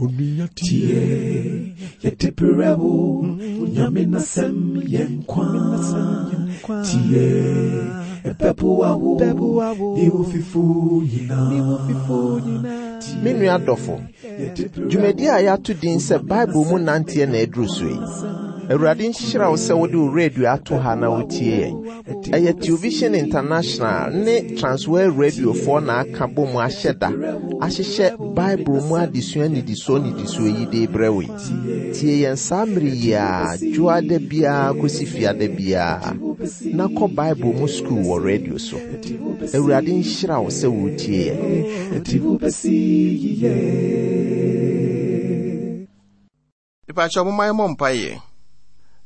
Tie, yɛde berɛ wo, Nyame n'asɛm yɛ nkwa. Tie, ɛbɛboa wo, ne wo fifo nyinaa. Me nua dɔfo, dwumadi a yɛato din sɛ Bible mu nanteɛ na aduru so yi. Awurade nhyira wo sɛ wode wo radio ato ha na wotie yɛn. Ɛyɛ Television International ne Transworld Radiofoɔ na aka bɔ mu ahyɛ da ahyehyɛ Bible mu adesua nnidisoɔ nnidisoɔ yi de rebrɛ wo yi. Tie yɛn saa mmere yi ara, dwoada biara kɔsi fiada biara, na kɔ Bible mu sukuu wɔ radio so. Awurade nhyira wo sɛ woretie yɛn. Mepakyɛw momma yɛmmɔ mpaeɛ.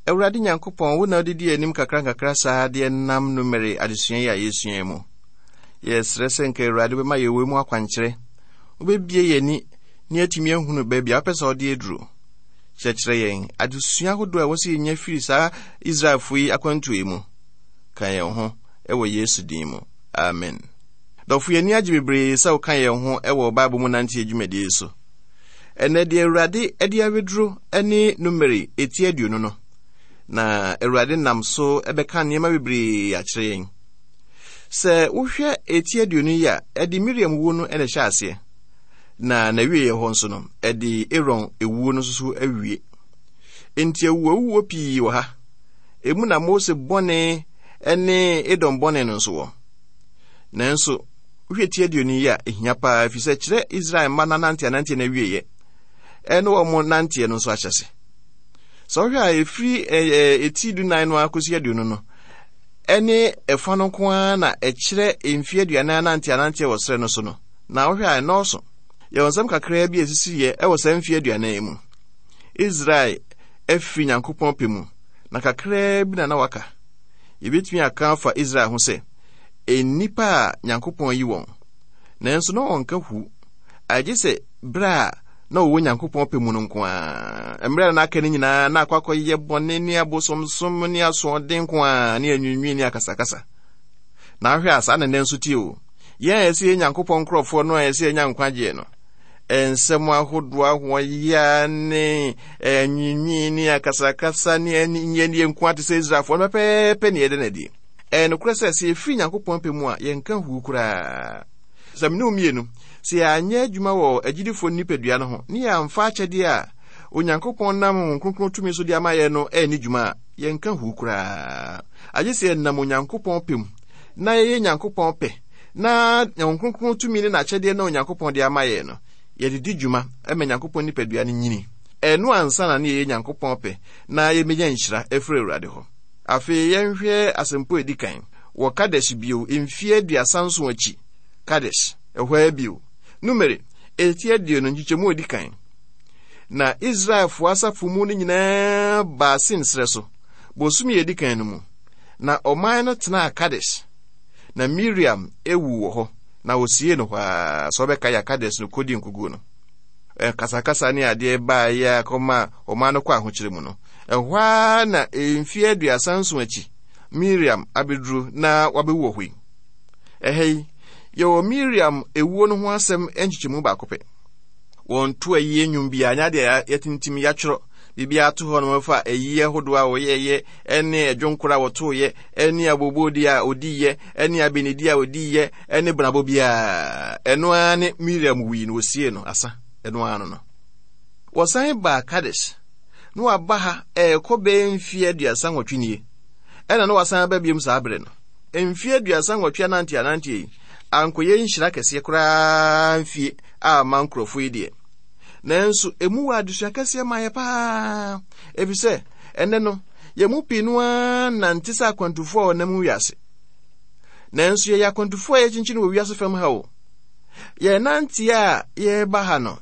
Awurade Nyankopɔn, wo na wode di anim kakra nkakra saa de nam numere adesua yi a yɛsua yi mu. Yɛsrɛ sɛ nka Awurade wobɛma yɛn wei mu akwankyerɛ. Wobɛbie yɛn ani na yɛatumi ahunu baabi a wopɛ sɛ wode aduro. Kyerɛkyerɛ yɛn adesua ahodoɔ a ɛwɔ sɛ yɛnya firi saa Israelfoɔ yi akwantuo yi mu. Ka yɛn ho wɔ Yesu din mu. Amen. Dɔfo, yɛn ani agye bebree sɛ woka yɛn ho wɔ Bible mu nanteɛ dwumadie yi so. Ɛnnɛ deɛ Awurade de aweduro ne Numeri eti aduonu no, na Awurade nam so bɛka nneɛma bebree akyerɛ yɛn. Sɛ wohwɛ eti aduonu yi a, ɛde Miriam wuo no na ɛhyɛ aseɛ, na n'awieeɛ hɔ nso no, ɛde Aaron ewuo no nso so awie. Enti awuwawuo pii wɔ ha. Emu na Mose bɔne ne Edom bɔne no nso wɔ. Nanso, Wohwɛ ti aduonu yi a, ehia paa efisɛ ɛkyerɛ Israel mma no ananteananteɛ no awieeɛ ɛne wɔn nanteɛ no nso ahyɛse. Sɛ wohwɛ a ɛfiri ɛti dunan no ara kɔsi aduonu no, ɛne ɛfa no nko ara na ɛkyerɛ mfeɛ aduanan ananteananteɛ wɔ serɛ no so no, na wohwɛ a ɛnɔɔso. Yɛwɔ nsɛm kakraa bi a ɛsisiiɛ ɛwɔ saa mfeɛ aduanan yi mu. Israel afiri Nyankopɔn pɛ mu, na kakraa bi na na waka. Yɛbɛtumi aka afa Israel ho sɛ, nnipa a Nyankopɔn ayi wɔn, nanso na wɔnka hu, agye sɛ bere a na wɔwɔ Nyankopɔn pɛ mu no nko ara. Mmerɛ a na aka no nyinaa na akɔ akɔyɛ bɔne ne abosomsom ne asoɔden nko ara ne anwiinwii ne akasakasa. Na ahwɛ a saa na nnɛ nso tie o. Yɛn a yɛsɛ yɛ Nyankopɔn nkurɔfoɔ no a yɛsɛ yɛnya nkwagyeɛ no, nsɛm ahodoɔ ahoɔyea ne anwiinwii ne akasakasa ne aninyɛnie nko ara te sɛ Israelfoɔ no pɛpɛɛpɛ ne yɛda no adi. Ɛyɛ nokorɛ sɛ, sɛ yɛfiri Nyankopɔn pɛ mu a, yɛnka huu koraa. Sɛ me ne wo mmienu, sɛ yɛanyɛ adwuma wɔ agyidifoɔ nipadua no ho, ne yɛamfa akyɛdeɛ a Onyankopɔn nam Honhom Kronkron tumi so de ama yɛn no anni dwuma a, yɛnka huu koraa. Agye sɛ yɛnam Onyankopɔn pɛ mu, na yɛyɛ Nyankopɔn pɛ, na Honhom Kronkron tumi ne n'akyɛdeɛ no a Onyankopɔn de ama yɛn no, yɛde di dwuma ma Nyankopɔn nipadua no nyini. Ɛno ansa na ne yɛyɛ Nyankopɔn pɛ, na yɛbɛnya nhyira afiri Awurade hɔ. Afei yɛnhwɛ asɛmpɔ a edi kan wɔ Kadesh bio mfe 37 akyi. Kadesh, ɛhɔ ara bio. Numeri, eti aduonu, nkyekyɛmu a edi kan. Na Israelfo asafo mu no nyinaa baa Sin serɛ so, bosome a edi kan no mu. Na ɔman no tenaa Kadesh. Na Miriam ewu wɔ hɔ, na wɔsiee no hɔ ara. Sɛ ɔbɛka yɛ Kadesh no kɔdi nkoguo no. Kasakasa ne adeɛ baeɛ a kɔma ɔman no kɔ ahokyere mu no. Ɛhɔ ara na mfeɛ 37 akyi, Miriam abɛduru na wabɛwu wɔ hɔ yi. Ɛha yi, yɛwɔ Miriam ewuo no ho asɛm nkyekyɛmu baako pɛ. Wɔnto ayie nnwom biara, nyɛ adeɛ yɛtintim yɛatwerɛ biribiara ato hɔ no fa ayie ahodoɔ a wɔyɛeɛ ne ɛdwonkoro a wɔtoeɛ ne aboboodie a ɔdiiɛ ne abenedie a ɔdiiɛ ne benabɔ biara. Ɛno ara ne Miriam wui no wɔsiee no asa. Ɛno ara no no. Wɔsan baa Kades. na waba ha ɛrekɔ bɛyɛ mfeɛ 38 nie, ɛna na wasan aba biom saa berɛ no. Mfeɛ 38 anante ananteɛ yi ankɔyɛ nhyira kɛseɛ koraa mfie a ma nkurɔfoɔ yi deɛ. Nanso ɛmu wɔ adesua kɛseɛ ma yɛ paa, ɛfiri sɛ ɛnɛ no yɛn mu pii no ara nante sɛ akwantufoɔ a wɔnam wiase. Nanso yɛyɛ akwantufoɔ a yɛkyinkyin wɔ wiase fam ha o. Yɛn nanteɛ a yɛreba ha no,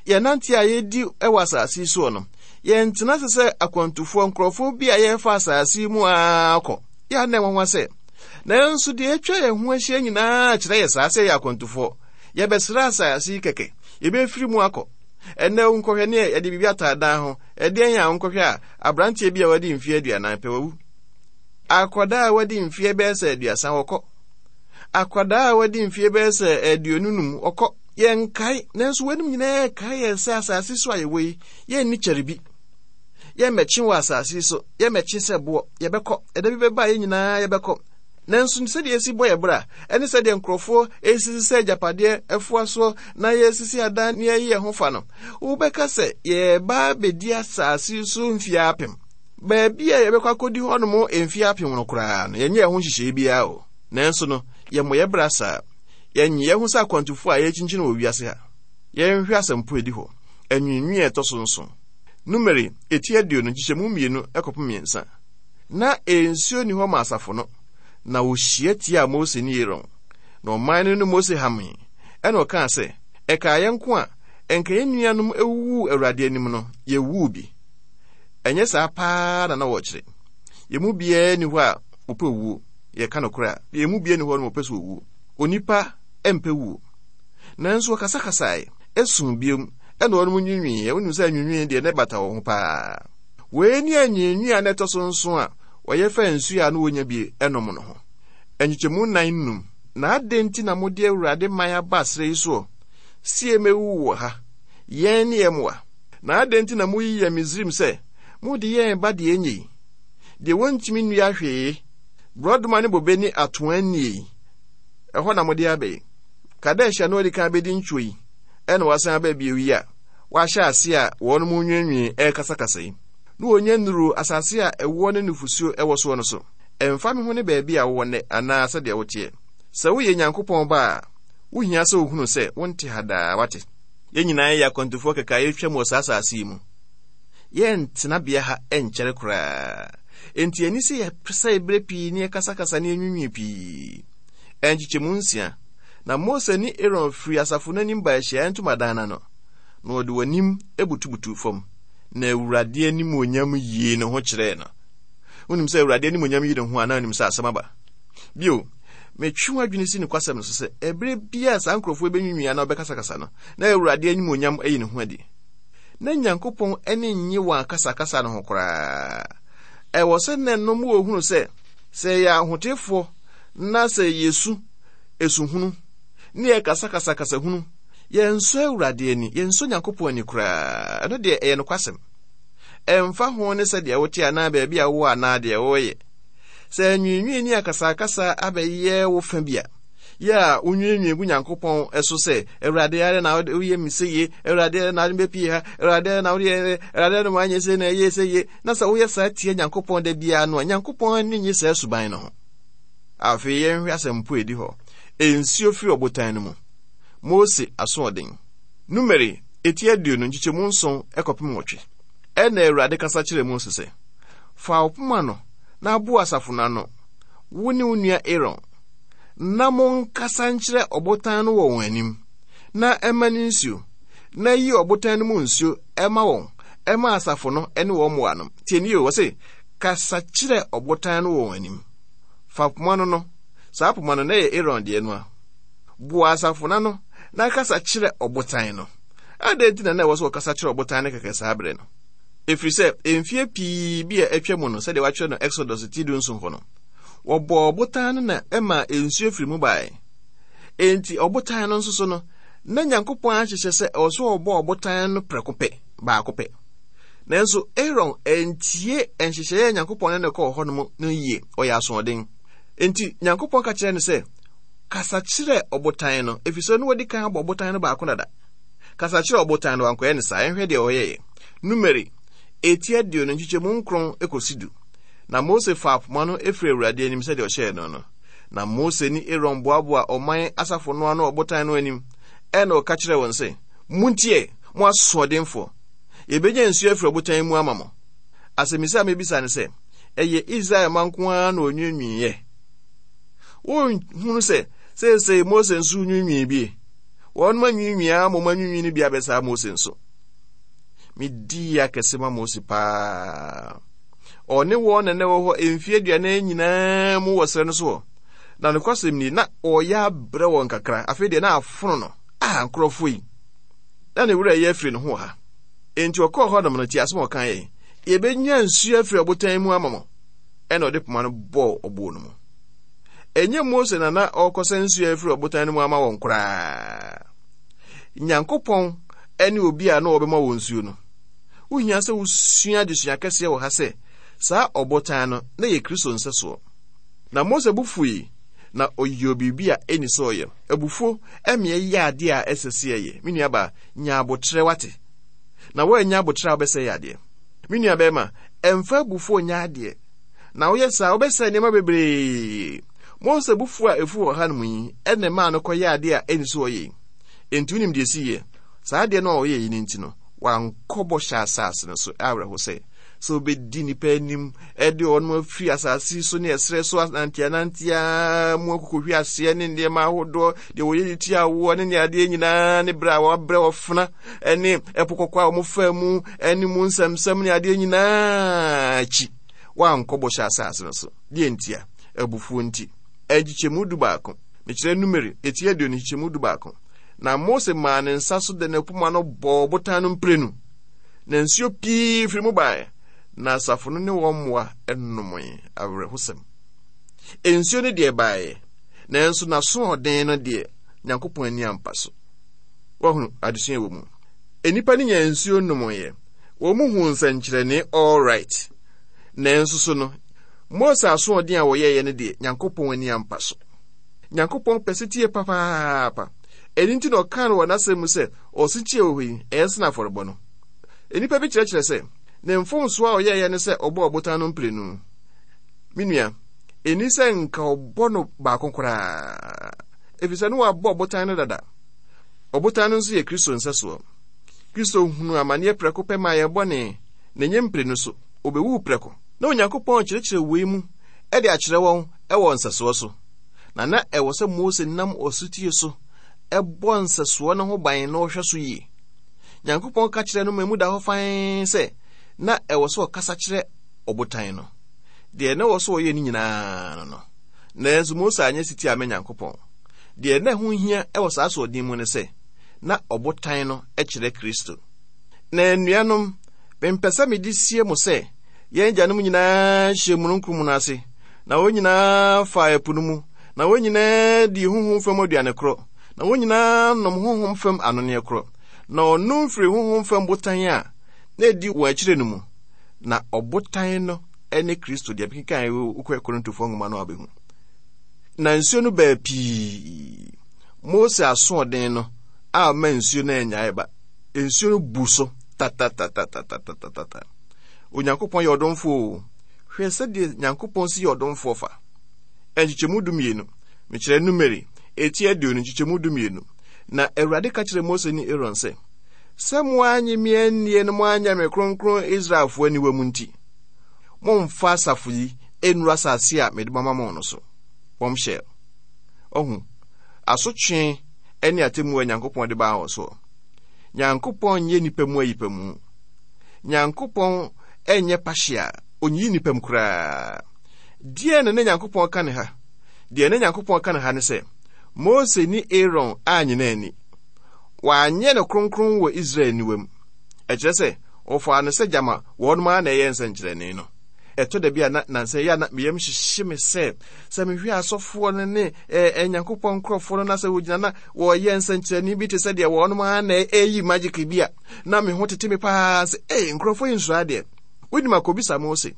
Yɛn nante a yɛdi wɔ asase yi soɔ no, yɛntena ase sɛ akwantufoɔ, nkurɔfoɔ bi a yɛrefa asase yi mu ara kɔ. Yɛ a na ɛnwanwa sɛ, nanso deɛ atwa yɛn ho ahyia nyinaa kyerɛ yɛ saa sɛ yɛyɛ akwantufoɔ. Yɛbɛsra asase yi kɛkɛ, yɛbɛfiri mu akɔ. Ɛnnɛ wonkɔhwɛ ne yɛde biribi ataa dan ho, ɛdeɛn a wonkɔhwɛ a, aberanteɛ bi a wadi mfeɛ 40 pɛ wawu. Akwadaa a wadi mfeɛ bɛyɛ sɛ 30 wɔkɔ. Akwadaa a wadi mfeɛ bɛyɛ sɛ 25 wɔkɔ. Yɛnkae, nanso weinom nyinaa kae yɛn sɛ asase so a yɛwɔ yi, yɛnni kyɛre bi. Yɛmmɛkye wɔ asase yi so, yɛmmɛkye sɛ boɔ, yɛbɛkɔ. Ɛda bi bɛba a yɛn nyinaa yɛbɛkɔ. Nanso sɛdeɛ yɛsi bɔ yɛn bra, ɛne sɛdeɛ nkurɔfoɔ resisi sɛ agyapadeɛ afoa soɔ na yɛresisi adan na yɛyi yɛn ho fa no, wobɛka sɛ yɛreba abɛdi asase yi so mfeɛ apem. Baabi a yɛbɛkɔ akɔdi hɔnom mfeɛ apem no koraa no, yɛnyɛɛ ho nhyehyɛeɛ biara o. Nanso no, yɛmmɔ yɛn bra saa. Yɛnnye yɛn ho sɛ akwantufoɔ a yɛrekyinkyin wɔ wiase ha. Yɛnhwɛ asɛmpo a ɛdi hɔ, anwiinwii a ɛtɔ so nson. Numeri, eti 20, nkyekyɛmu mmienu kɔpem mmiɛnsa. Ná nsuo nni hɔ ma asafo no, na wɔhyia tiaa Mose ne Aaron. Na ɔman no ne Mose hamee, ɛnna ɔkaa sɛ, Ɛkaa yɛn nko a, ɛnka yɛn nuanom awuwuu Awurade anim no, yɛwuu bi. Ɛnyɛ saa paa na na wɔrekyerɛ. Yɛn mu biara nni hɔ a ɔpɛ owuo. Yɛka nokorɛ a, yɛn mu biara nni hɔ no ɔpɛ sɛ ɔwuo. Onipa mpɛ wuo. Nanso wɔkasakasae, ɛsuu biom, ɛnna wɔnom nwiinwiiɛ. Wonim sɛ anwiinwii deɛ na ɛbata wɔn ho paa. Wei ne anwiinwii a na ɛtɔ so nson a wɔyɛ faa nsuo a na wɔnya bi nom no ho. Nkyekyɛmu nnan num. Na adɛn nti na mode Awurade man aba serɛ yi soɔ, sie mɛwuwu wɔ ha, yɛn ne yɛn mmoa? Na adɛn nti na moyi yɛn Misraim sɛ mode yɛn reba deɛ ɛnyɛ yi, deɛ wɔntumi nnua hwee, borɔdɔma ne bobe ne atoaa nnie yi? Ɛhɔ na mode aba yi. Kadesh a na wadi kan abɛdi ntwo yi, ɛna wasan aba bio yi a wɔahyɛ ase a wɔn mu nwiinwii rekasakasa yi, na wɔnya nnuruu asase a ɛwoɔ ne nufosuo wɔ soɔ no so. Ɛmfa me ho ne baabi a wowɔ nnɛ anaa sɛdeɛ woteɛ. Sɛ woyɛ Nyankopɔn ba a, wohia sɛ wohunu sɛ wonte ha daa, wate? Yɛn nyinaa yɛ akwantufoɔ kɛkɛ a yɛretwam wɔ saa asase yi mu. Yɛrentena bea ha nkyɛre koraa. Enti ɛnni sɛ yɛsɛe berɛ pii ne yɛkasakasa ne yɛnwiinwii pii. Nkyekyɛmu nsia. Na Mose ne Aaron firii asafo no anim baa ahyiaeɛ ntomadan no ano, na wɔde wɔn anim butubutuu fam, na Awurade animuonyam yii ne ho kyerɛɛ no. Wonim sɛ Awurade animuonyam yi ne ho a, na wonim sɛ asɛm aba. Bio, metwe w'adwene si nokwasɛm no so sɛ, ɛberɛ biara saa nkurɔfoɔ bɛnwiinwii anaa wɔbɛkasakasa no, na Awurade animuonyam ayi ne ho adi. Na Nyankopɔn ani nnye wɔn akasakasa no ho koraa. Ɛwɔ sɛ na ɛnom wɔhunu sɛ, sɛ yɛyɛ ahotefoɔ na sɛ yɛsu esuhunu ne yɛkasakasa kasahunu, yɛnsɔ Awurade ani, yɛnsɔ Nyankopɔn ani koraa. Ɛno deɛ ɛyɛ nokwasɛm. Ɛmfa ho ne sɛdeɛ wote anaa baabi a wowɔ anaa deɛ woreyɛ. Sɛ anwiinwii ne akasakasa abɛyɛ wo fa bi a, yɛ a wonwiinwii gu Nyankopɔn so sɛ, Awurade adɛn na woyɛ me seyie? Awurade adɛn na wode me bɛpie ha? Awurade adɛn na wode yɛ Awurade adɛn na woanyɛ sei na ɛyɛ seyie? Na sɛ woyɛ saa tia Nyankopɔn da biara no a, Nyankopɔn ani nnye saa suban no ho. Afei yɛnhwɛ asɛmpo a edi hɔ. Nsuo firi ɔbotan no mu. Mose asoɔden. Numeri, eti 20, nkyekyɛmu nson kɔpem nwɔtwe. Ɛnna Awurade kasa kyerɛɛ Mose sɛ, Fa wo poma no na boa asafo no ano, wo ne wo nua Aaron, na monkasa nkyerɛ ɔbotan no wɔ wɔn anim, na ɛmma no nsuo, na yi ɔbotan no mu nsuo ma wɔn, ma asafo no ne wɔn mmoa nom. Tie nie o, ɔse, kasa kyerɛ ɔbotan no wɔ wɔn anim. Fa poma no no, saa poma no na ɛyɛ Aaron deɛ no a. Boa asafo no ano na kasa kyerɛ ɔbotan no. Adɛn nti na na ɛwɔ sɛ ɔkasa kyerɛ ɔbotan no kɛkɛ saa berɛ no? Ɛfiri sɛ, mfeɛ pii bi a atwa mu no, sɛdeɛ wɔatwerɛ no Exodus ti dunson hɔ no, wɔbɔɔ ɔbotan no na ɛmaa nsuo firi mu baeɛ. Enti ɔbotan no nso so no, na Nyankopɔn ahyehyɛ sɛ ɛwɔ sɛ ɔbɔ ɔbotan no prɛko pɛ, baako pɛ. Nanso Aaron antie nhyehyɛeɛ a Nyankopɔn ne no kɔɔ hɔ no no yie, ɔyɛ asoɔden. Enti Nyankopɔn ka kyerɛɛ no sɛ, Kasa kyerɛ ɔbotan no, ɛfiri sɛ na wadi kan abɔ ɔbotan no baako dada. Kasa kyerɛ ɔbotan no, wankɔyɛ no saa. Yɛnhwɛ deɛ ɔyɛeɛ. Numeri, eti 20 nkyekyɛmu nkron kɔsi du. Na Mose faa poma no firii Awurade anim sɛdeɛ ɔhyɛɛ no no. Na Mose ne Aaron boaboaa ɔman asafo no ano ɔbotan no anim. Ɛnna ɔka kyerɛɛ wɔn sɛ, Montie, mo asoɔdenfoɔ! Yɛbɛnya nsuo afiri ɔbotan yi mu ama mo? Asɛmmisa a mebisa ne sɛ, ɛyɛ Israel mma nko ara na wɔnwiinwiiɛ? Wonhunu sɛ seesei Mose nso nwiinwii bi? Wɔnom anwiinwii ara ma wɔn anwiinwii no bi abɛsaa Mose nso. Medii akɛse ma Mose paa. Ɔne wɔn na na ɛwɔ hɔ mfeɛ aduanan nyinaa mu wɔ serɛ no soɔ. Na nokwasɛm ni, na ɔreyɛ abrɛ wɔn kakra. Afei deɛ na afono no. Ah, nkurɔfoɔ yi. Na ne werɛ yɛ afiri ne ho wɔ ha. Enti ɔkɔɔ hɔnom no, tie asɛm a ɔka yɛ. Yɛbɛnya nsuo afiri ɔbotan mu ama mo. Ɛna ɔde poma no bɔɔ ɔboɔ no mu. Ɛnyɛ Mose na na ɔrekɔsa nsuo afiri ɔbotan no mu ama wɔn koraa. Nyankopɔn ne obi a na ɔbɛma wɔn nsuo no. Wohia sɛ wosua adesua kɛseɛ wɔ ha sɛ saa ɔbotan no na yɛ Kristo nsɛsoɔ. Na Mose bo fui na ɔyɛɛ biribi a ɛnni sɛ ɔyɛ. Abufuo ɛmeɛ yɛ adeɛ a ɛsɛ sɛ yɛyɛ. Me nuabaa, nya abotrɛ wate. Na woannya abotrɛ a wobɛsɛe adeɛ. Me nua bɛrima, ɛmfa abufuo nyɛ adeɛ. Na woyɛ saa wobɛsɛe nneɛma bebree. Mose abufuo a ɛfu wɔ hanom yi ɛna ɛmaa no kɔyɛ adeɛ a ɛnni sɛ ɔyɛ yi. Enti wonim deɛ ɛsiiɛ? Saa adeɛ no a ɔyɛɛ yi no nti no, wankɔ bɔhyɛ asase no so. Awerɛho sɛ, sɛ obɛdi nnipa anim de wɔn afiri asase so ne ɛserɛ so ananteanantea mu akokɔhwi aseɛ ne nneɛma ahodoɔ deɛ wɔyɛ de tia awoɔ ne ne adeɛ nyinaa ne berɛ a wɔabrɛ wɔfena ne ɛpo kɔkɔɔ a wɔfaa mu ne mu nsɛmsɛm ne adeɛ nyinaa akyi wankɔ bɔhyɛ asase no so. Deɛ ntia? Abufuo nti. Nkyekyɛmu 11. Mekyerɛ Numeri, eti 20 nkyekyɛmu 11. Na Mose maa ne nsa so de ne poma no bɔɔ ɔbotan no mprenu, na nsuo pii firi mu baeɛ, na asafo no ne wɔn mmoa nomee. Awerɛhosɛm. Nsuo no deɛ baeɛ, nanso n'asoɔden no deɛ, Nyankopɔn ani ampa so. Wahunu adesua wɔ mu. Nnipa no nyaa nsuo nomoeɛ. Wɔn mu huu nsɛnkyerɛnne all right. Nanso so no, Mose asoɔden a wɔyɛeɛ no deɛ, Nyankopɔn ani ampa so. Nyankopɔn pɛ setie papaapa. Ɛno nti na ɔkaa no wɔ n'asɛm mu sɛ, ɔsetie wɔ hɔ yi, ɛyɛ sene afɔrebɔ no. Nnipa bi kyerɛkyerɛ sɛ, ne mfomsoɔ a ɔyɛeɛ ne sɛ ɔbɔɔ ɔbotan no mprenu. Me nua, ɛnni sɛ nka ɔbɔ no baako koraa, ɛfiri sɛ ne wabɔ ɔbotan no dada. Ɔbotan no nso yɛ Kristo nsɛsoɔ. Kristo hunuu amaneɛ prɛko pɛ maa yɛn bɔne, na ɛnyɛ mprenu so. Ɔbɛwuu prɛko. Na Onyankopɔn rekyerɛkyerɛ wei mu de akyerɛ wɔn wɔ nsɛsoɔ so. Na na ɛwɔ sɛ Mose nam ɔsotie so bɔ nsɛsoɔ no ho ban na ɔhwɛ so yie. Nyankopɔn ka kyerɛɛ no ma emu da hɔ fann sɛ na ɛwɔ sɛ ɔkasa kyerɛ ɔbotan no. Deɛ na ɛwɔ sɛ ɔyɛ no nyinaa no no. Nanso Mose anyɛ setie amma Nyankopɔn. Deɛ na ɛho hia wɔ saa asoɔden mu ne sɛ, na ɔbotan no kyerɛ Kristo. Na anuanom, mempɛ sɛ mede sie mo sɛ yɛn agyanom nyinaa hyɛɛ mununkum no ase, na wɔn nyinaa faa ɛpo no mu, na wɔn nyinaa dii honhom fam aduane korɔ, na wɔn nyinaa nom honhom fam anonneɛ korɔ. Na wɔnom firii honhom fam botan a na edi wɔn akyire no mu, na ɔbotan no ne Kristo. Deɛ mekenkan wokɔ Korintofoɔ nwoma no a wobɛhu. Na nsuo no baa pii. Mose asoɔden no a ɔma nsuo no annyae ba. Nsuo no bu so tatatatatatatatata. Onyankopɔn yɛ ɔdomfoɔ o. Hwɛ sɛdeɛ Nyankopɔn si yɛ ɔdomfoɔ fa. Nkyekyɛmu 12, mekyerɛ Numeri, eti 20 nkyekyɛmu 12. Na Awurade ka kyerɛɛ Mose ne Aaron sɛ, Sɛ moannye me annie na moanyɛ me kronkron Israelfoɔ aniwa mu nti, mommfa asafo yi nnuru asase a mede mama mo no so. Bombshell. Ɔhu, asotwe ne atemmuo a Nyankopɔn de baa wɔn soɔ. Nyankopɔn nyɛ nnipa mu ayipamu. Nyankopɔn nyɛ pahyea, onyiyi nnipa mu koraa. Deɛ na na Nyankopɔn ka ne ha? Deɛ na Nyankopɔn ka ne ha ne sɛ, Mose ne Aaron anyina ani. Wɔanyɛ no kronkron wɔ Israel aniwa mu. Ɛkyerɛ sɛ, wɔfaa no sɛ gyama wɔnom ara na ɛyɛ nsɛnkyerɛnne no. Ɛtɔ da bi a na nansa yi a na me yam hyehye me sɛ, sɛ mehwɛ asɔfoɔ no ne ɛɛ Nyankopɔn nkurɔfoɔ no na sɛ wɔgyina na wɔyɛ nsɛnkyerɛnne bi te sɛ deɛ wɔnom ara na ɛyi magic bi a, na me ho tete me paa sɛ, ee, nkurɔfoɔ yi nsuro adeɛ. Wonim akɔbisa Mose.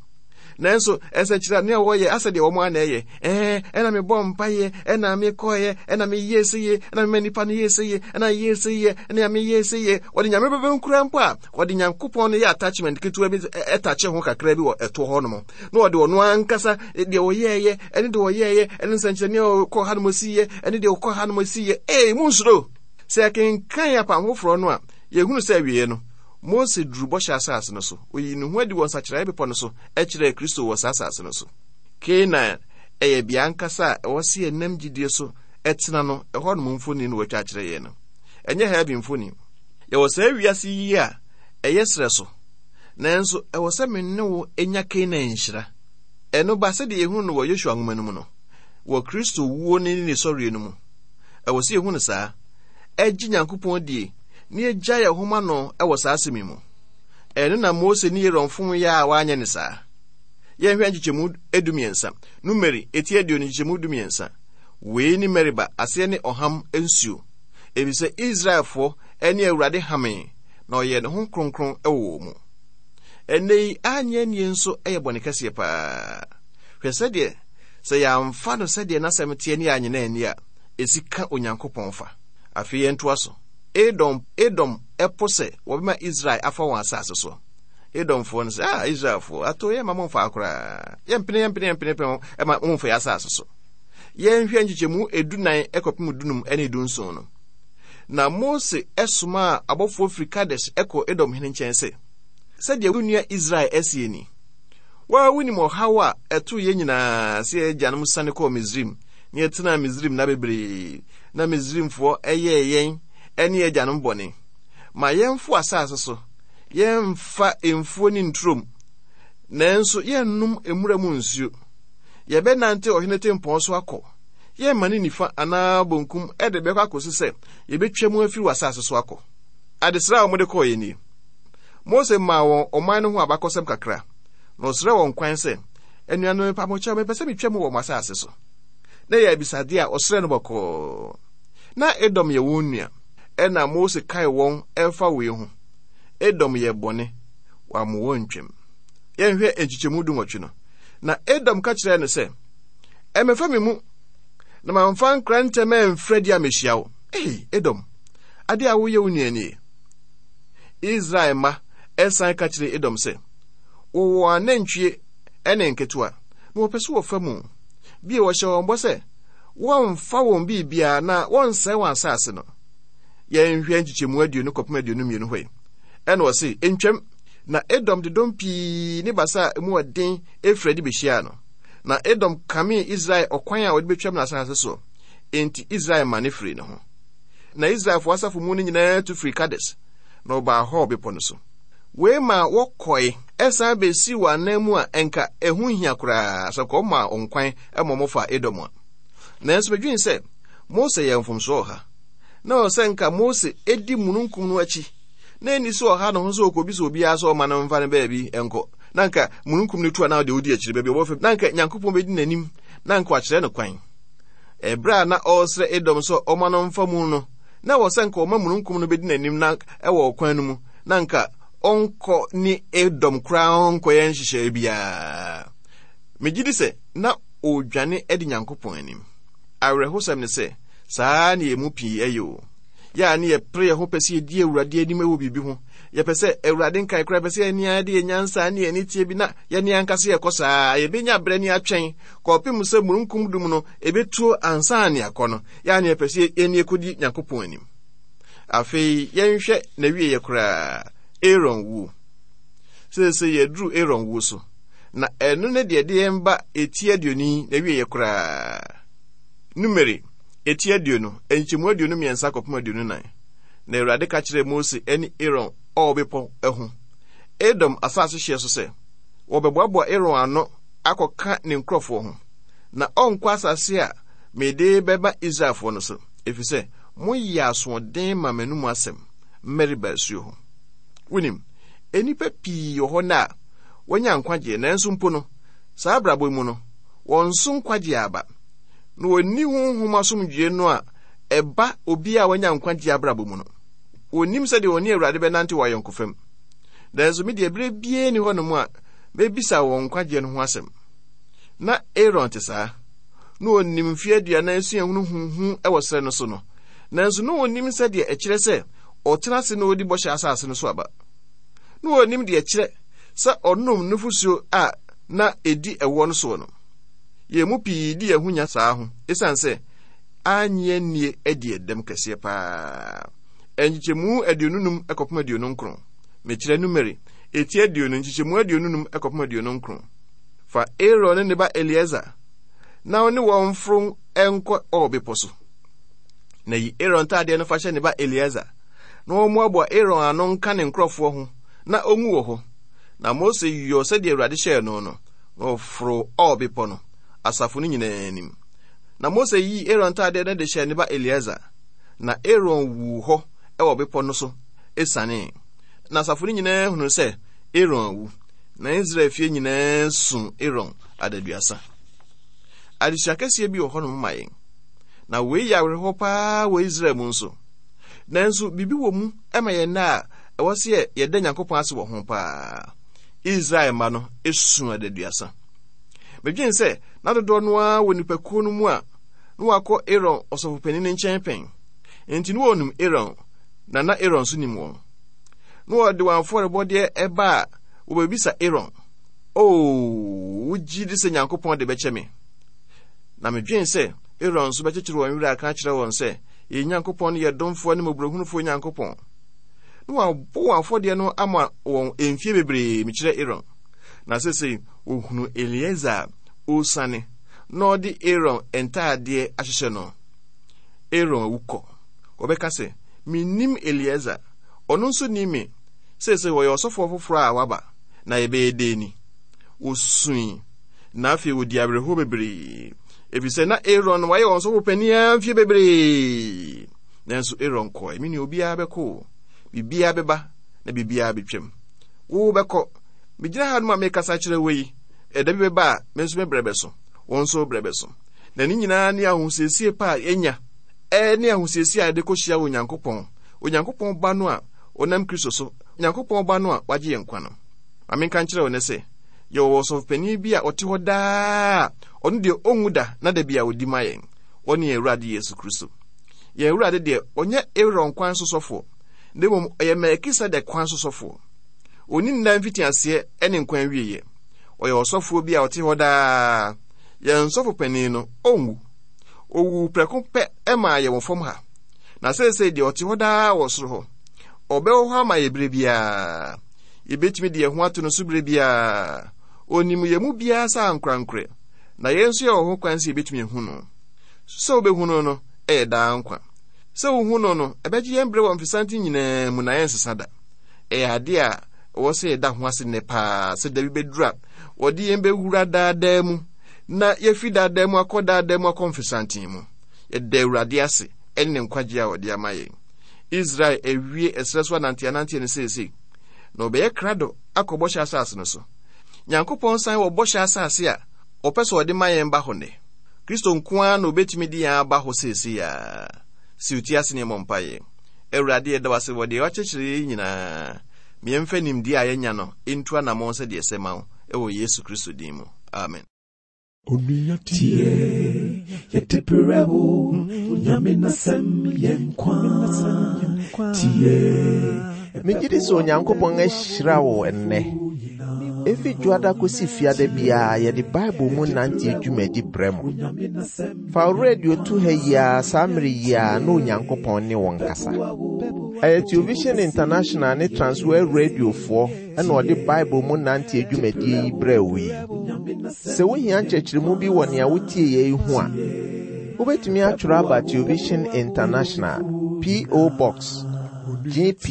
Nanso nsɛnkyerɛnne a wɔyɛ asɛ deɛ wɔn ara na ɛyɛ. Ɛɛ, ɛna mebɔ mpaeɛ, ɛna mekɔeɛ, ɛna meyɛɛ sɛ yie, ɛna mema nnipa no yɛɛ sɛ yie, ɛna yɛɛ sɛ yie, ɛna meyɛɛ sɛ yie. Wɔde Nyame bɛbɛ nkura mpo a, wɔde Nyankopɔn no yɛ attachment ketewa bi ɛtakye ho kakra bi wɔ ɛtoɔ hɔ nom. Na wɔde ɔno ankasa deɛ ɔyɛɛyɛ, ɛne deɛ ɔyɛɛyɛ, ɛne nsɛnkyerɛnne a ɔkɔ ha nom ɔsiiɛ, ɛne deɛ ɔkɔ ha nom ɔsiiɛ. Ee, monsuro! Sɛ yɛkenkan Apam Foforɔ no a, yɛhunu sɛ awieɛ no, Mose duruu bɔhyɛ asase no so. Oyii ne ho adi wɔ nsakyeraeɛ bepɔ no so kyerɛɛ Kristo wɔ saa asase no so. Kanaan yɛ bea ankasa a ɛwɔ sɛ yɛnam gyidie so tena no, ɛhɔ nom mfoni na wɔatwa akyerɛ yɛn no. Ɛnyɛ heaven mfoni. Yɛwɔ saa wiase yi a ɛyɛ serɛ so, nanso ɛwɔ sɛ me ne wo nya Kanaan nhyira. Ɛno ba sɛdeɛ yɛhunu no wɔ Yosua nwoma no mu no, wɔ Kristo wuo ne ne sɔreɛ no mu. Ɛwɔ sɛ yɛhu no saa, ɛgye Nyankopɔn die, na yɛgya yɛn ho ma no wɔ saa asɛm yi mu. Ɛno na Mose ne Aaron fom yɛ a wɔanyɛ ne saa. Yɛnhwɛ nkyekyɛmu 13, Numeri eti 20 nkyekyɛmu 13. Wei ne Meriba, aseɛ ne ɔham nsuo, efisɛ Israelfoɔ ne Awurade hamee, na ɔyɛɛ ne ho kronkron wɔ wɔn mu. Ɛnnɛ yi, annye annie nso yɛ bɔne kɛseɛ paa. Hwɛ sɛdeɛ sɛ yɛamfa no sɛdeɛ n'asɛm teɛ ne yɛannye no anni a, ɛsi ka Onyankopɔn fa. Afei yɛntoa so. Edom, Edom po sɛ wɔbɛma Israel afa wɔn asase so. Edomfoɔ no sɛ, ah, Israelfoɔ, ato yɛmma mo mfaa koraa. Yɛmpene, yɛmpene, yɛmpene pɛn ɛma mo mfa yɛn asase so. Yɛnhwɛ nkyekyɛmu edunan kɔpem dunum ne dunson no. Na Mose somaa abɔfoɔ firi Kades kɔɔ Edom hene nkyɛn sɛ, Sɛdeɛ wo nua Israel seɛ ni, Wo ara wonim ɔhaw a ɛtoo yɛn nyinaa sɛ yɛn agyanom siane kɔɔ Misraim, na yɛtenaa Misraim nna bebree, na Misraimfoɔ yɛɛ yɛn ne yɛn agyanom bɔne. Ma yɛmfo asase so, yɛmfa mfuo ne nturom, nanso yɛnnom mmura mu nsuo. Yɛbɛnante ɔhene tempɔn so akɔ, yɛremmane nifa anaa bonkum de bɛkɔ akɔsi sɛ yɛbɛtwa mu afiri w'asase so akɔ. Adesrɛ a wɔde kɔeɛ nie. Mose maa wɔn ɔman no ho abakɔsɛm kakra, na ɔsrɛɛ wɔn kwan sɛ, Anuanom, mepa mo kyɛw, mepɛ sɛ metwa mu wɔ mo asase so. Na ɛyɛ abisadeɛ a ɔsrɛɛ no bɔkɔɔ. Na Edom yɛ wɔn nua. Ɛnna Mose kae wɔn ɛfa wei ho, Edom yɛɛ bɔne, wammo wɔn ntwam. Yɛnhwɛ nkyekyɛmu dunwɔtwe no. Na Edom ka kyerɛɛ no sɛ, Ɛmmɛfa me mu, na mamfa nkrantɛ mamfiri adi ammɛhyia wo. Ei, Edom, ade a woyɛ wo nua nie. Israel mma san ka kyerɛɛ Edom sɛ, Wɔwɔ anantwie ne nketewa, na wɔpɛ sɛ wɔfa mu. Bio, wɔhyɛɛ wɔn bɔ sɛ wɔmfa wɔn biribiara na wɔnsɛe wɔn asase no. Yɛnhwɛ nkyekyɛmu aduonu kɔpem 22 hɔ yi. Ɛna ɔse, Ntwam! Na Edom de dɔm pii ne basa a emu wɔ den firi adi behyiaa no. Na Edom kamee Israel ɔkwan a ɔde betwam n'asase soɔ. Enti Israel mane firii ne ho. Na Israelfoɔ asafo mu no nyinaa tu firii Kades, na wɔbaa Hor bepɔ no so. Wei maa wɔkɔe san besii wɔn anan mu a ɛnka ɛho nhia koraa sɛ anka wɔmaa wɔn kwan ma wɔfaa Edom a. Nanso medwene sɛ Mose yɛɛ mfomsoɔ wɔ ha. Na ɛwɔ sɛ nka Mose di mununkum no akyi na ɛnni sɛ ɔha ne ho sɛ ɔkɔbisa obiara sɛ ɔma no mfa no baabi nkɔ. Na anka mununkum no tu a na ɔde odi akyiri baabi ɔbɛfa, na anka Nyankopɔn bɛdi n'anim na anka wakyerɛ no kwan. Ɛberɛ a na ɔresrɛ Edom sɛ ɔma no mfa mu no, na ɛwɔ sɛ anka ɔma mununkum no bɛdi n'anim na ɛwɔ ɔkwan no mu, na anka ɔnkɔ ne Edom koraa ɔnkɔyɛ nhyehyɛeɛ biara. Megye di sɛ na ɔredwane adi Nyankopɔn anim. Awerɛhosɛm ne sɛ, saa na yɛn mu pii yɛ o. Yɛ a ne yɛpere yɛn ho pɛ sɛ yɛdi Awurade anim wɔ biribi ho. Yɛpɛ sɛ Awurade nkae koraa, yɛpɛ sɛ yɛne ara de yɛn nyansa ne yɛn aniteɛ bi na yɛne ankasa yɛkɔ saa. Yɛbɛnya berɛ ne atwɛn kɔpem sɛ mununkum dum no ɛbɛtuo ansa ne akɔ no. Yɛ a ne yɛpɛ sɛ yɛne yɛkɔdi Nyankopɔn anim. Afei yɛnhwɛ n'awieeɛ koraa, Aaron wuo. Seesei yɛaduru Aaron wuo so, na ɛno ne deɛ ɛde yɛn ba eti aduonu n'awieeɛ koraa. Numeri, eti 20, nkyɛmu 23 kɔpem 24. Na Awurade ka kyerɛɛ Mose ne Aaron Or bepɔ ho, Edom asase hyeɛ so sɛ, wɔbɛboaboa Aaron ano akɔka ne nkurɔfoɔ ho, na ɔnkɔ asase a mede bɛma Israelfoɔ no so, ɛfiri sɛ moyɛɛ asoɔden ma m'anomu asɛm Meriba asuo ho. Wonim, nnipa pii wɔ hɔ nnɛ a wɔanya nkwagyeɛ, nanso mpo no, saa abrabɔ yi mu no, wɔn so nkwagyeɛ aba, na wɔnni honhom asomdwoeɛ no a ɛba obi a wanya nkwagyeɛ abrabɔ mu no. Wɔnnim sɛdeɛ wɔne Awurade bɛnante wɔ ayɔnkofa mu. Nanso me deɛ berɛ biara nni hɔnom a mɛbisa wɔn nkwagyeɛ no ho asɛm. Na Aaron te saa. Na ɔnim mfeɛ 40 suahunu huhu wɔ serɛ no so no, nanso na ɔnnim sɛdeɛ ɛkyerɛ sɛ ɔtena ase na ɔdi bɔhyɛ asase no so aba. Na ɔnnim deɛ ɛkyerɛ sɛ ɔnom nufosuo a na ɛdi ɛwoɔ no soɔ no. Yɛn mu pii di yɛn ho nya saa ho esiane sɛ annye annie adi ɛdɛm kɛseɛ paa. Nkyekyɛmu 25 kɔpem 29. Mekyerɛ Numeri, eti 20, nkyekyɛmu 25 kɔpem 29. Fa Aaron ne ne ba Eleazar na wo ne wɔn mforo nkɔ Or bepɔ so. Na yi Aaron ntaadeɛ no fa hyɛ ne ba Eleazar, na wɔmmoaboa Aaron ano nka ne nkurɔfoɔ ho na ɔnwu wɔ hɔ. Na Mose yɔɔ sɛdeɛ Awurade hyɛɛ no no, na ɔforoo Or bepɔ no, asafo no nyinaa anim. Na Mose yii Aaron ntaadeɛ no de hyɛɛ ne ba Eleazar, na Aaron wuu hɔ wɔ bepɔ no so sianee. Na asafo no nyinaa hunuu sɛ Aaron awu, na Israel fie nyinaa suu Aaron adaduasa. Adesua kɛseɛ bi wɔ hɔnom ma yɛn. Na wei yɛ awerɛhoɔ paa wɔ Israel mu nso. Nanso biribi wɔ mu ma yɛn nnɛ a ɛwɔ sɛ yɛda Nyankopɔn ase wɔ ho paa. Israel mma no su adaduasa. Medwen sɛ na dodoɔ no ara wɔ nnipakuo no mu a na wɔakɔ Aaron ɔsɔfopanin no nkyɛn pɛn. Enti na wɔnim Aaron, na na Aaron nso nim wɔn. Na wɔde wɔn afɔrebɔdeɛ ɛba a wɔbɛbisa Aaron, Oo, wogye di sɛ Nyankopɔn de bɛkyɛ me? Na medwen sɛ Aaron nso bɛkyekyere wɔn werɛ aka akyerɛ wɔn sɛ, Yɛn Nyankopɔn no yɛ domfoɔ ne mmɔborɔhunufoɔ Nyankopɔn. Na wɔabɔ wɔn afɔdeɛ no ama wɔn mfie bebree, mekyerɛ Aaron. Na seesei wɔhunu Eleazar a ɔresiane na ɔde Aaron ntaadeɛ ahyehyɛ no. Aaron awu kɔ. Wɔbɛka sɛ, Mennim Eleazar. Ɔno nso nnim me. Seesei ɔyɛ ɔsɔfoɔ foforɔ a waba, na yɛbɛyɛ dɛn ni? Wɔsui, na afei wɔdii awerɛhoɔ bebree, ɛfiri sɛ na Aaron wayɛ wɔn sɔfo panin ara mfeɛ bebree. Nanso Aaron kɔe. Me nua, obiara bɛkɔ o. Biribiara bɛba na biribiara bɛtwam. Wo bɛkɔ. Megyina ha nom a mekasa kyerɛ wo yi, ɛda bi bɛba a me nso me berɛ bɛso, wo nso wo berɛ bɛso. Na ne nyinaa ne ahosiesie pa a yɛnya, ɛne ahosiesie a yɛde kɔhyia Onyankopɔn, Onyankopɔn Ba no a ɔnam Kristo so, Onyankopɔn Ba no a wagye yɛn nkwa no. Ma menka nkyerɛ wo nnɛ sɛ, yɛwɔ ɔsɔfopanin bi a ɔte hɔ daa a ɔno deɛ ɔnwu da na da bi a ɔdi ma yɛn. Ɔne yɛn Awurade Yesu Kristo. Yɛn Awurade deɛ, ɔnyɛ Aaron kwan so sɔfoɔ, na mmom ɔyɛ Melkisedek kwan so sɔfoɔ. Ɔnni nna mfitiaseɛ ne nkwa awieeɛ. Ɔyɛ ɔsɔfoɔ bi a ɔte hɔ daa. Yɛn sɔfo panin no, ɔnwu. Ɔwuu prɛko pɛ maa yɛn wɔ fam ha, na seesei deɛ ɔte hɔ daa wɔ soro hɔ. Ɔbɛwɔ hɔ ama yɛn berɛ biara. Yɛbɛtumi de yɛn ho ato no so berɛ biara. Ɔnim yɛn mu biara sɛ ankorankorɛ, na yɛn nso yɛwɔ ho kwan sɛ yɛbɛtumi ahu no. Sɛ wobɛhu no no yɛ daa nkwa. Sɛ wohu no no, ɛbɛgye yɛn berɛ wɔ mfesanten nyinaa mu na yɛnsesa da. Ɛyɛ ade a ɛwɔ sɛ yɛda ho ase nnɛ paa sɛ da bi bɛduru a wɔde yɛn bɛwura daadaa mu na yɛafi daadaa mu akɔ daadaa mu akɔ mfesanten mu. Yɛda Awurade ase ɛne ne nkwagye a ɔde ama yɛn. Israel awie ɛserɛ so ananteananteɛ no seesei, na ɔbɛyɛ krado akɔ bɔhyɛ asase no so. Nyankopɔn san wɔ bɔhyɛ asase a ɔpɛ sɛ ɔde ma yɛn ba hɔ nnɛ. Kristo nko ara na obetumi de yɛn aba hɔ seesei ara. Siw ti ase ne yɛmmɔ mpaeɛ. Awurade, yɛda wo ase wɔ deɛ woakyerɛkyerɛ yɛn yi nyinaa. Ma yɛmfa nimdeɛ a yɛanya no ntu anammɔn sɛdeɛ ɛsɛ ma wo, wɔ Yesu Kristo din mu. Amen. Onua tie, yɛde brɛ wo, Onyame n'asɛm yɛ nkwa. Tie. Megye di sɛ Onyankopɔn ahyira wo ɛnnɛ. Efi Dwoada kosi Fiada biara yɛde Bible mu nanteɛ dwumadi brɛ mo. Fa wo radio to ha yi ara saa mmere yi ara na Onyankopɔn ne wo nkasa. Ɛyɛ Television International ne Transworld Radiofoɔ na ɔde Bible mu nanteɛ dwumadie yi brɛɛ wo yi. Sɛ wohia nkyerɛkyerɛmu bi wɔ nea wotieeɛ yi ho a, wobɛtumi atwerɛ aba Television International, P.O. Box, GP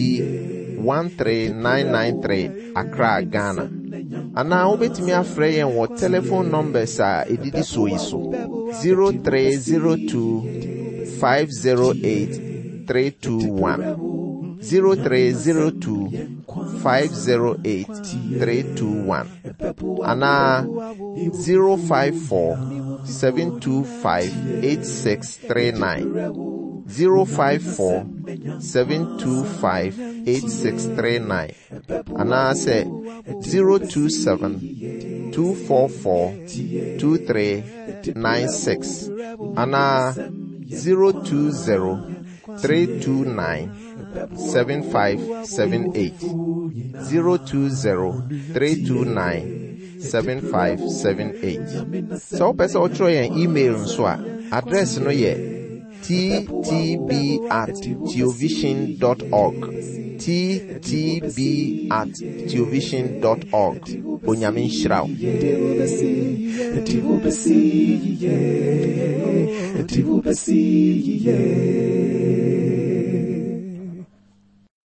13993, Accra, Ghana. Anaa wobɛtumi afrɛ yɛn wɔ telephone numbers a ɛdidi soɔ yi so 0302 508 321 0302 508 321 anaa 054 725 8639 054 725 8639 anaasɛ 027 244 2396 anaa 020 329 7578 020 329 7578. Sɛ wopɛ sɛ wotwerɛ yɛn email nso a, address no yɛ ttb at theovision dot org. ttb at theovision dot org. Onyame nhyira wo.